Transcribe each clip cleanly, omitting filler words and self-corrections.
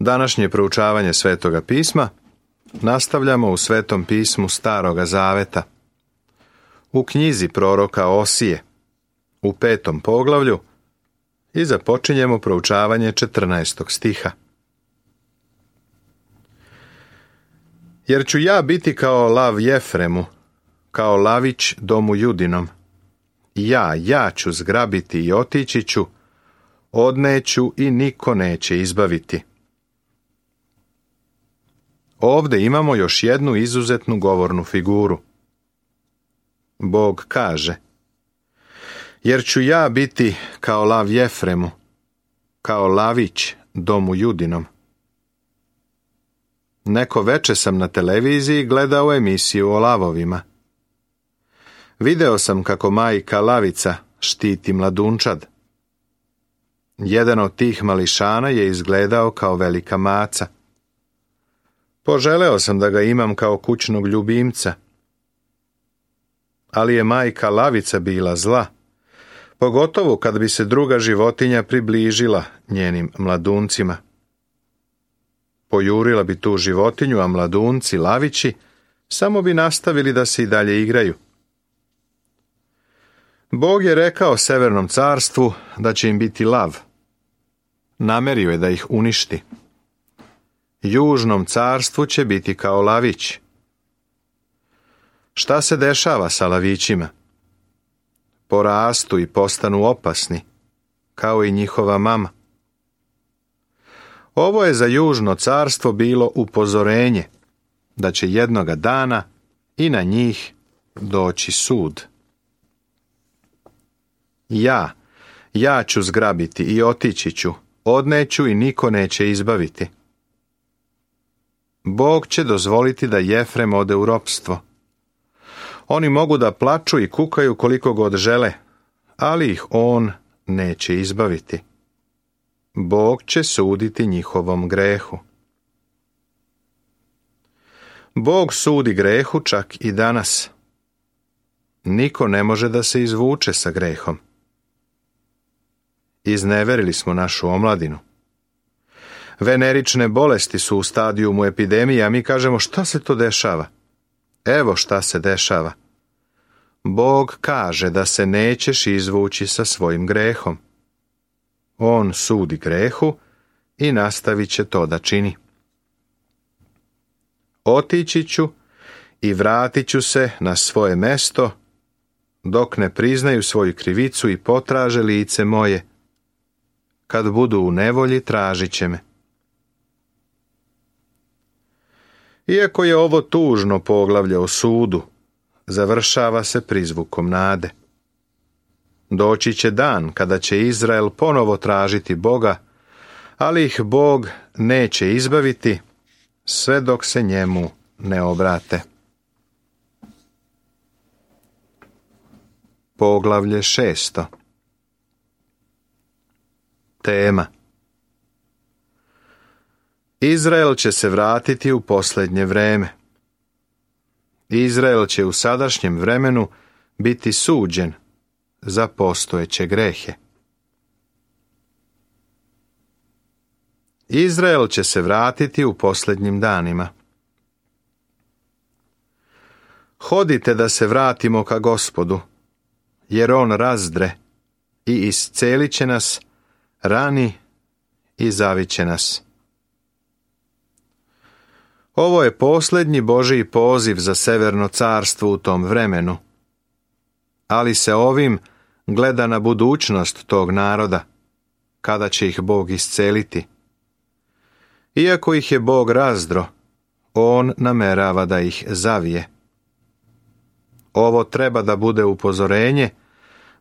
Današnje proučavanje Svetoga pisma nastavljamo u Svetom pismu Staroga Zaveta, u knjizi proroka Osije, u 5. poglavlju, i započinjemo proučavanje 14. stiha. Jer ću ja biti kao lav Jefremu, kao lavić domu Judinom. Ja ću zgrabiti i otići ću, odneću i niko neće izbaviti. Ovdje imamo još jednu izuzetnu govornu figuru. Bog kaže: jer ću ja biti kao lav Jefremu, kao lavić domu Judinom. Neko veče sam na televiziji gledao emisiju o lavovima. Video sam kako majka lavica štiti mladunčad. Jedan od tih mališana je izgledao kao velika maca. Poželeo sam da ga imam kao kućnog ljubimca. Ali je majka lavica bila zla, pogotovo kad bi se druga životinja približila njenim mladuncima. Pojurila bi tu životinju, a mladunci, lavići, samo bi nastavili da se i dalje igraju. Bog je rekao Severnom carstvu da će im biti lav. Namerio je da ih uništi. Južnom carstvu će biti kao lavić. Šta se dešava sa lavićima? Porastu i postanu opasni, kao i njihova mama. Ovo je za Južno carstvo bilo upozorenje da će jednoga dana i na njih doći sud. Ja ću zgrabiti i otići ću, odneću i niko neće izbaviti. Bog će dozvoliti da Jefrem ode u ropstvo. Oni mogu da plaču i kukaju koliko god žele, ali ih on neće izbaviti. Bog će suditi njihovom grehu. Bog sudi grehu čak i danas. Niko ne može da se izvuče sa grehom. Izneverili smo našu omladinu. Venerične bolesti su u stadijumu epidemije, a mi kažemo: šta se to dešava? Evo šta se dešava. Bog kaže da se nećeš izvući sa svojim grehom. On sudi grehu i nastavit će to da čini. Otići ću i vratit ću se na svoje mesto, dok ne priznaju svoju krivicu i potraže lice moje. Kad budu u nevolji, tražit će me. Iako je ovo tužno poglavlje o sudu, završava se prizvukom nade. Doći će dan kada će Izrael ponovo tražiti Boga, ali ih Bog neće izbaviti sve dok se njemu ne obrate. Poglavlje 6. Tema: Izrael će se vratiti u posljednje vreme. Izrael će u sadašnjem vremenu biti suđen za postojeće grehe. Izrael će se vratiti u posljednjim danima. Hodite da se vratimo ka Gospodu, jer on razdre i iscelit će nas, rani i zaviće nas. Ovo je posljednji Božji poziv za Severno carstvo u tom vremenu, ali se ovim gleda na budućnost tog naroda, kada će ih Bog isceliti. Iako ih je Bog razdro, on namerava da ih zavije. Ovo treba da bude upozorenje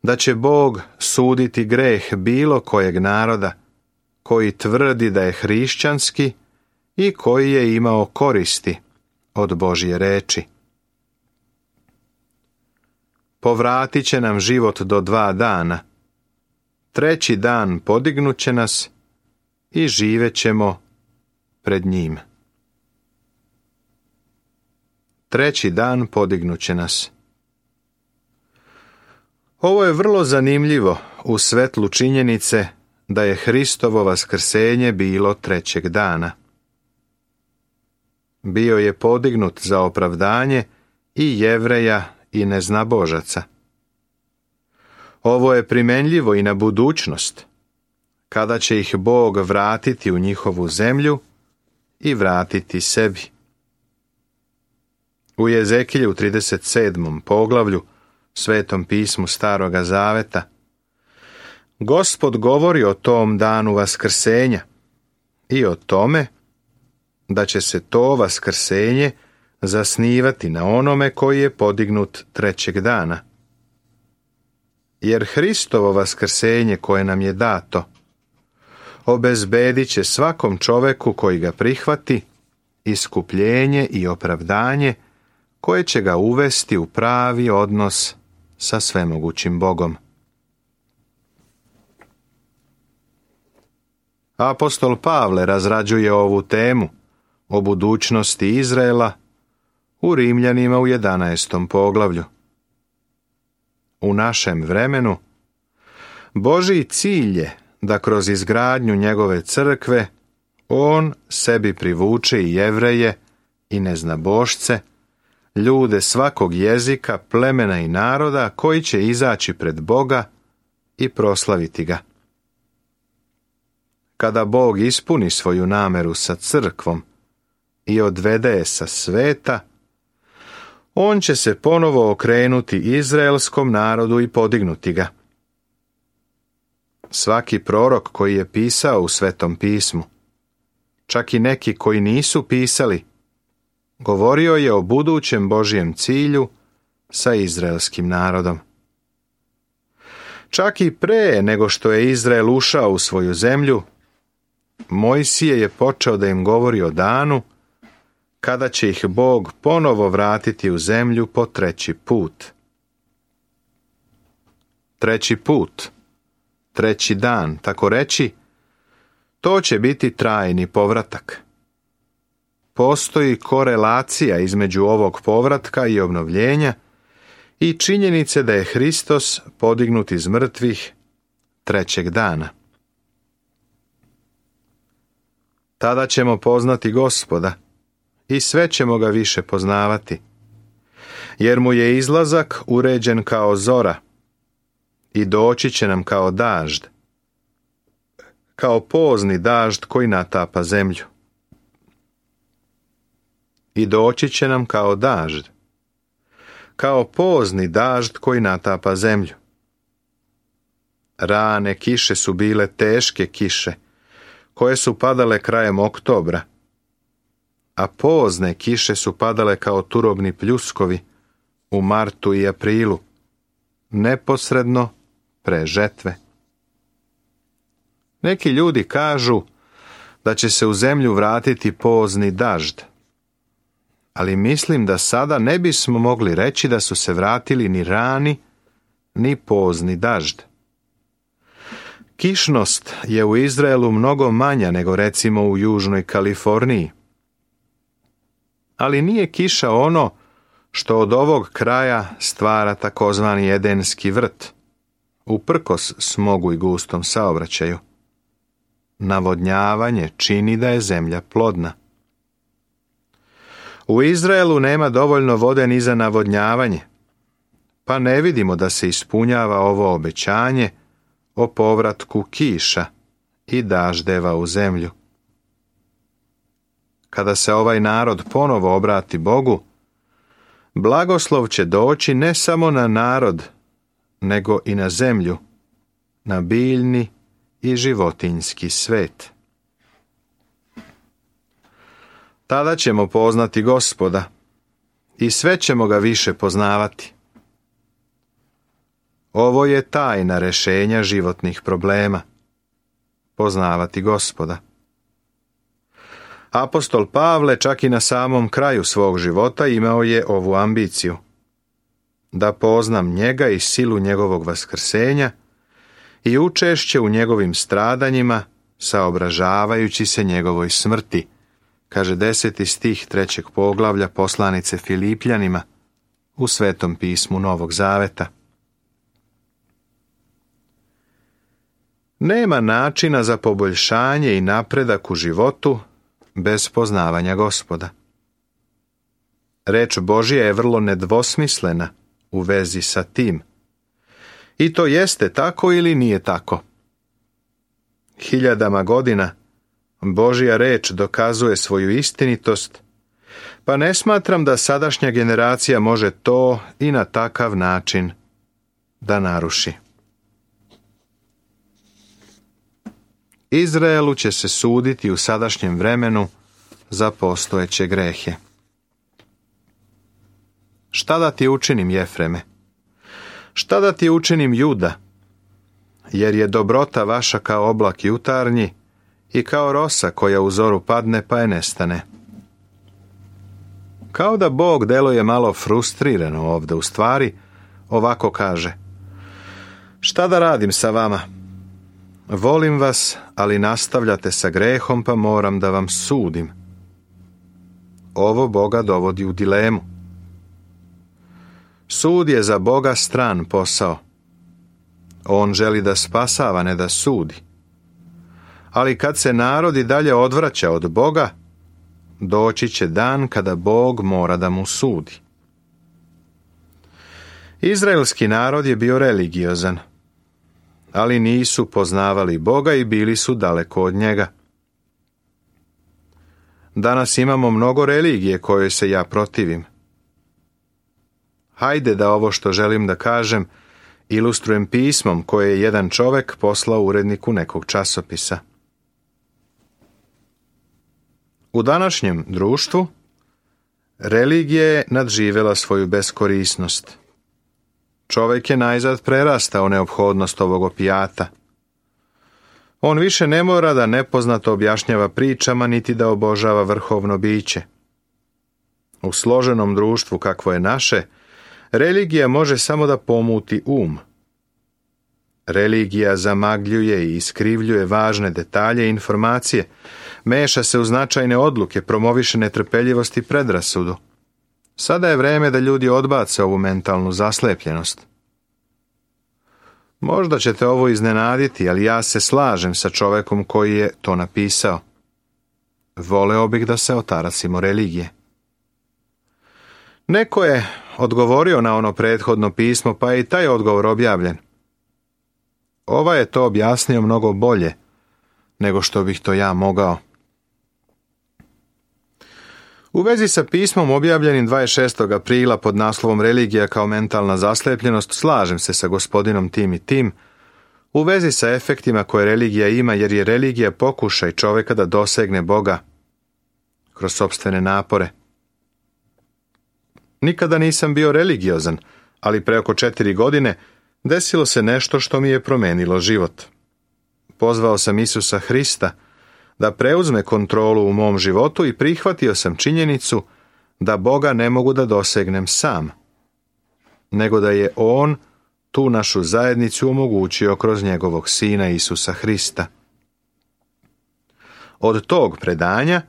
da će Bog suditi greh bilo kojeg naroda koji tvrdi da je hrišćanski i koji je imao koristi od Božje reči. Povratit će nam život do 2 dana. 3. dan podignut će nas i živet ćemo pred njim. 3. dan podignut će nas. Ovo je vrlo zanimljivo u svetlu činjenice da je Hristovo vaskrsenje bilo trećeg dana. Bio je podignut za opravdanje i Jevreja i neznabožaca. Ovo je primenljivo i na budućnost, kada će ih Bog vratiti u njihovu zemlju i vratiti sebi. U Jezekilju 37. poglavlju, Svetom pismu Staroga Zaveta, Gospod govori o tom danu vaskrsenja i o tome da će se to vaskrsenje zasnivati na onome koji je podignut trećeg dana. Jer Hristovo vaskrsenje koje nam je dato obezbedit će svakom čoveku koji ga prihvati iskupljenje i opravdanje koje će ga uvesti u pravi odnos sa svemogućim Bogom. Apostol Pavle razrađuje ovu temu o budućnosti Izraela u Rimljanima u 11. poglavlju. U našem vremenu Božji cilj je da kroz izgradnju njegove crkve on sebi privuče i Jevreje i neznabošce, ljude svakog jezika, plemena i naroda koji će izaći pred Boga i proslaviti ga. Kada Bog ispuni svoju nameru sa crkvom i odvede je sa sveta, on će se ponovo okrenuti izraelskom narodu i podignuti ga. Svaki prorok koji je pisao u Svetom pismu, čak i neki koji nisu pisali, govorio je o budućem Božjem cilju sa izraelskim narodom. Čak i pre nego što je Izrael ušao u svoju zemlju, Mojsije je počeo da im govori o danu kada će ih Bog ponovo vratiti u zemlju po treći put. Treći put, treći dan, tako reći, to će biti trajni povratak. Postoji korelacija između ovog povratka i obnovljenja i činjenice da je Hristos podignut iz mrtvih trećeg dana. Tada ćemo poznati Gospoda i sve ćemo ga više poznavati, jer mu je izlazak uređen kao zora i doći će nam kao dažd, kao pozni dažd koji natapa zemlju. I doći će nam kao dažd, kao pozni dažd koji natapa zemlju. Rane kiše su bile teške kiše, koje su padale krajem oktobra, a pozne kiše su padale kao turobni pljuskovi u martu i aprilu, neposredno pre žetve. Neki ljudi kažu da će se u zemlju vratiti pozni dažd, ali mislim da sada ne bismo mogli reći da su se vratili ni rani, ni pozni dažd. Kišnost je u Izraelu mnogo manja nego recimo u Južnoj Kaliforniji. Ali nije kiša ono što od ovog kraja stvara takozvani Edenski vrt, uprkos smogu i gustom saobraćaju. Navodnjavanje čini da je zemlja plodna. U Izraelu nema dovoljno vode ni za navodnjavanje, pa ne vidimo da se ispunjava ovo obećanje o povratku kiša i daždeva u zemlju. Kada se ovaj narod ponovo obrati Bogu, blagoslov će doći ne samo na narod, nego i na zemlju, na biljni i životinjski svet. Tada ćemo poznati Gospoda i sve ćemo ga više poznavati. Ovo je tajna rešenja životnih problema. Poznavati Gospoda. Apostol Pavle čak i na samom kraju svog života imao je ovu ambiciju. Da poznam njega i silu njegovog vaskrsenja i učešće u njegovim stradanjima, saobražavajući se njegovoj smrti, kaže 10. stih 3. poglavlja poslanice Filipljanima u Svetom pismu Novog Zaveta. Nema načina za poboljšanje i napredak u životu bez poznavanja Gospoda. Reč Božja je vrlo nedvosmislena u vezi sa tim. I to jeste tako ili nije tako. Hiljadama godina Božja reč dokazuje svoju istinitost, pa ne smatram da sadašnja generacija može to i na takav način da naruši. Izraelu će se suditi u sadašnjem vremenu za postojeće grehe. Šta da ti učinim, Jefreme? Šta da ti učinim, Juda? Jer je dobrota vaša kao oblak jutarnji i kao rosa koja u zoru padne pa je nestane. Kao da Bog deluje malo frustrirano ovdje, u stvari ovako kaže: šta da radim sa vama? Volim vas, ali nastavljate sa grehom, pa moram da vam sudim. Ovo Boga dovodi u dilemu. Sud je za Boga stran posao. On želi da spasava, ne da sudi. Ali kad se narod i dalje odvraća od Boga, doći će dan kada Bog mora da mu sudi. Izraelski narod je bio religiozan, ali nisu poznavali Boga i bili su daleko od njega. Danas imamo mnogo religije kojoj se ja protivim. Hajde da ovo što želim da kažem ilustrujem pismom koje je jedan čovek poslao uredniku nekog časopisa. U današnjem društvu religija je nadživela svoju beskorisnost. Čovjek je najzad prerastao neophodnost ovog opijata. On više ne mora da nepoznato objašnjava pričama niti da obožava vrhovno biće. U složenom društvu kakvo je naše, religija može samo da pomuti um. Religija zamagljuje i iskrivljuje važne detalje i informacije, meša se u značajne odluke, promoviše netrpeljivost i predrasudu. Sada je vreme da ljudi odbace ovu mentalnu zaslepljenost. Možda ćete ovo iznenaditi, ali ja se slažem sa čovekom koji je to napisao. Voleo bih da se otarasimo religije. Neko je odgovorio na ono prethodno pismo, pa je i taj odgovor objavljen. Ova je to objasnio mnogo bolje nego što bih to ja mogao. U vezi sa pismom objavljenim 26. aprila pod naslovom Religija kao mentalna zaslepljenost, slažem se sa gospodinom tim i tim u vezi sa efektima koje religija ima, jer je religija pokušaj čovjeka da dosegne Boga kroz sopstvene napore. Nikada nisam bio religiozan, ali pre oko 4 godine desilo se nešto što mi je promenilo život. Pozvao sam Isusa Hrista da preuzme kontrolu u mom životu i prihvatio sam činjenicu da Boga ne mogu da dosegnem sam, nego da je On tu našu zajednicu omogućio kroz njegovog Sina Isusa Hrista. Od tog predanja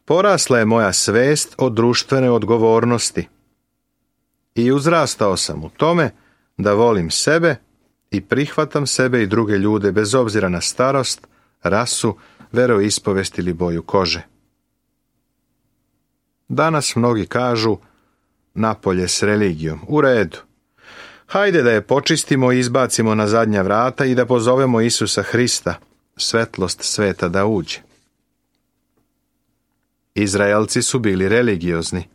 porasla je moja svest o društvene odgovornosti i uzrastao sam u tome da volim sebe i prihvatam sebe i druge ljude bez obzira na starost, rasu, veroispovest ili boju kože. Danas mnogi kažu napolje s religijom. U redu. Hajde da je počistimo i izbacimo na zadnja vrata i da pozovemo Isusa Hrista, svetlost sveta, da uđe. Izraelci su bili religiozni,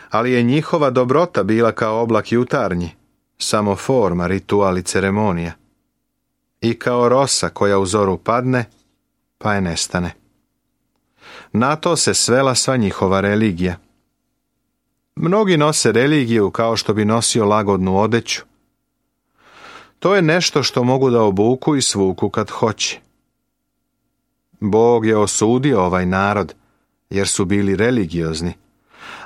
ali je njihova dobrota bila kao oblak jutarnji, samo forma, ritual i ceremonija. I kao rosa koja u zoru padne, pa je nestane. Na to se svela sva njihova religija. Mnogi nose religiju kao što bi nosio lagodnu odeću. To je nešto što mogu da obuku i svuku kad hoće. Bog je osudio ovaj narod, jer su bili religiozni,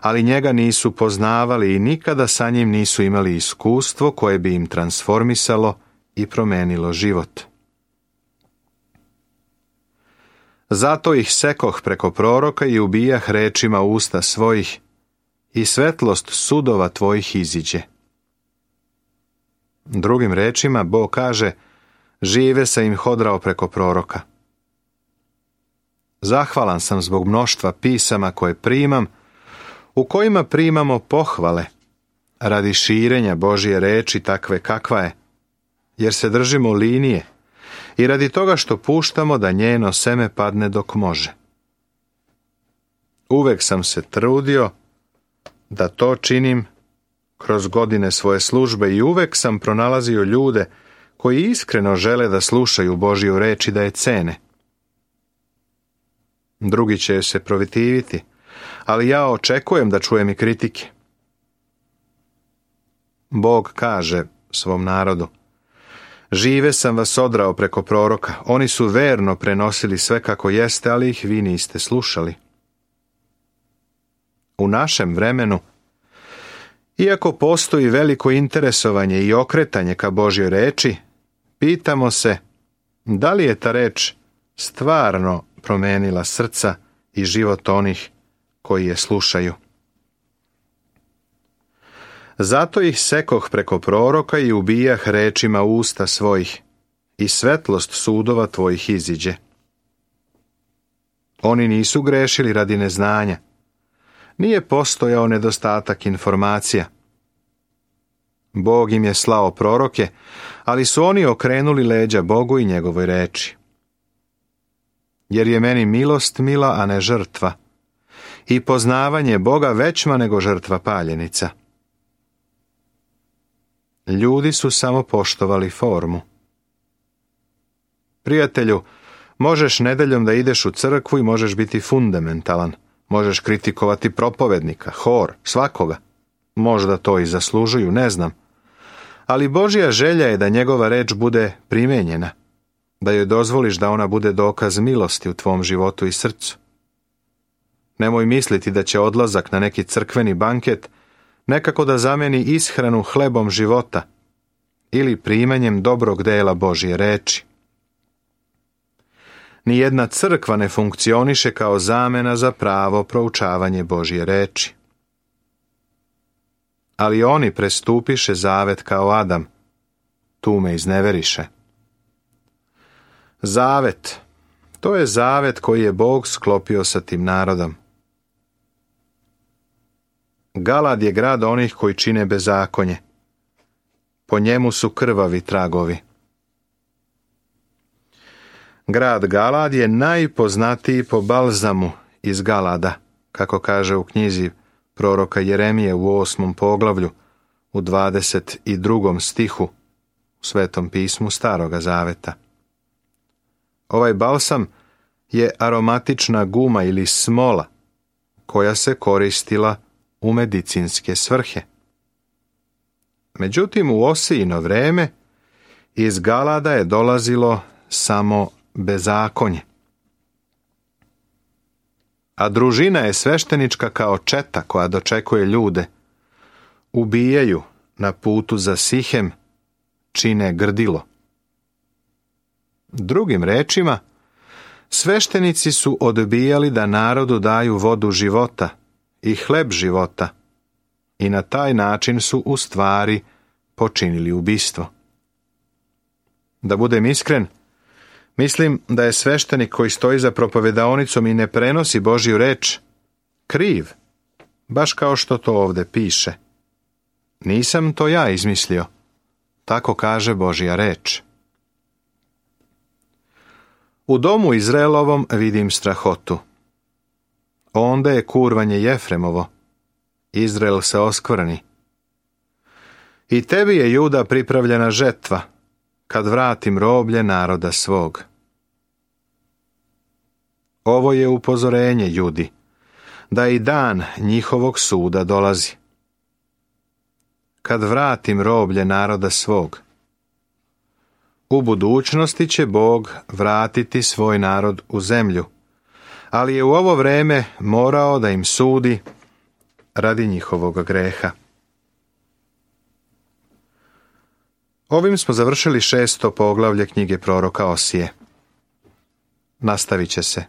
ali njega nisu poznavali i nikada sa njim nisu imali iskustvo koje bi im transformisalo i promenilo život. Zato ih sekoh preko proroka i ubijah rečima usta svojih i svetlost sudova tvojih iziđe. Drugim rečima, Bog kaže žive sam im hodrao preko proroka. Zahvalan sam zbog mnoštva pisama koje primam, u kojima primamo pohvale, radi širenja Božje reči takve kakva je, jer se držimo linije i radi toga što puštamo da njeno seme padne dok može. Uvek sam se trudio da to činim kroz godine svoje službe i uvek sam pronalazio ljude koji iskreno žele da slušaju Božju reč i da je cene. Drugi će se protiviti, ali ja očekujem da čujem i kritike. Bog kaže svom narodu: žive sam vas odrao preko proroka, oni su verno prenosili sve kako jeste, ali ih vi niste slušali. U našem vremenu, iako postoji veliko interesovanje i okretanje ka Božjoj reči, pitamo se da li je ta reč stvarno promenila srca i život onih koji je slušaju. Zato ih sekoh preko proroka i ubijah rečima usta svojih, i svetlost sudova tvojih iziđe. Oni nisu grešili radi neznanja. Nije postojao nedostatak informacija. Bog im je slao proroke, ali su oni okrenuli leđa Bogu i njegovoj reči. Jer je meni milost mila, a ne žrtva, i poznavanje Boga većma nego žrtva paljenica. Ljudi su samo poštovali formu. Prijatelju, možeš nedeljom da ideš u crkvu i možeš biti fundamentalan. Možeš kritikovati propovednika, hor, svakoga. Možda to i zaslužuju, ne znam. Ali Božja želja je da njegova reč bude primenjena, da joj dozvoliš da ona bude dokaz milosti u tvom životu i srcu. Nemoj misliti da će odlazak na neki crkveni banket nekako da zameni ishranu hlebom života ili primanjem dobrog dela Božje reči. Nijedna crkva ne funkcioniše kao zamena za pravo proučavanje Božje reči. Ali oni prestupiše zavet kao Adam, tu me izneveriše. Zavet, to je zavet koji je Bog sklopio sa tim narodom. Galad je grad onih koji čine bezakonje. Po njemu su krvavi tragovi. Grad Galad je najpoznatiji po balzamu iz Galada, kako kaže u knjizi proroka Jeremije u 8. poglavlju, u 22. stihu, u Svetom pismu Staroga zaveta. Ovaj balsam je aromatična guma ili smola koja se koristila u medicinske svrhe. Međutim, u Osijino vreme iz Galada je dolazilo samo bezakonje. A družina je sveštenička kao četa koja dočekuje ljude. Ubijaju na putu za Sihem, čine grdilo. Drugim rečima, sveštenici su odbijali da narodu daju vodu života i hleb života i na taj način su u stvari počinili ubistvo. Da budem iskren, mislim da je sveštenik koji stoji za propovedaonicom i ne prenosi Božju reč kriv, baš kao što to ovdje piše. Nisam to ja izmislio, tako kaže Božja reč. U domu Izraelovom vidim strahotu. Onda je kurvanje Jefremovo. Izrael se oskvrni. I tebi je, Juda, pripravljena žetva, kad vratim roblje naroda svog. Ovo je upozorenje, Judi, da i dan njihovog suda dolazi. Kad vratim roblje naroda svog. U budućnosti će Bog vratiti svoj narod u zemlju, ali je u ovo vreme morao da im sudi radi njihovog greha. Ovim smo završili 6. poglavlje knjige proroka Osije. Nastavit će se.